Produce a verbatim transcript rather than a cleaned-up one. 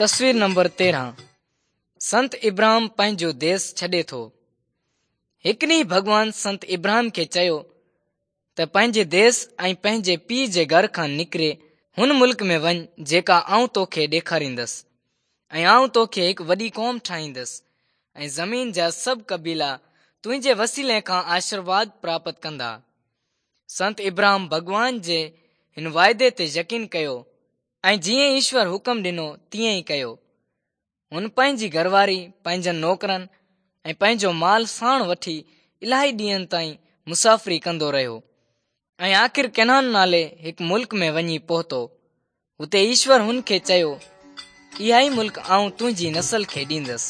تصوير نمبر تيرهن سنت ابراهم پنهنجو ديس ڇڏي ٿو. هڪ ڏينهن ڀڳوان سنت ابراهم کي چيو ته پنهنجي ديس ۽ پنهنجي پيءُ جي گهر کان نڪري هن ملڪ ۾ وڃ جيڪا آئون توکي ڏيکاريندس ۽ آئون توکي هڪ وڏي قوم ٺاهيندس ۽ زمين جا سڀ قبيلا تنهنجي وسيلي کان آشيرواد پراپت ڪندا. سنت ابراهم ڀڳوان جي هن واعدي تي يقين ڪيو ۽ جيئن ايشور حڪم ڏنو تيئن ئي ڪيو. هن پنهنجي گهرواري، پنهنجن نوڪرن ۽ پنهنجو مال ساڻ وٺي الاهي ڏينهن تائين مسافري ڪندو رهيو ۽ آخر ڪنعان نالي هڪ ملڪ ۾ وڃي پهتو. هتي ايشور هن کي چيو، اها ئي ملڪ آئون تنهنجي نسل کي ڏيندس.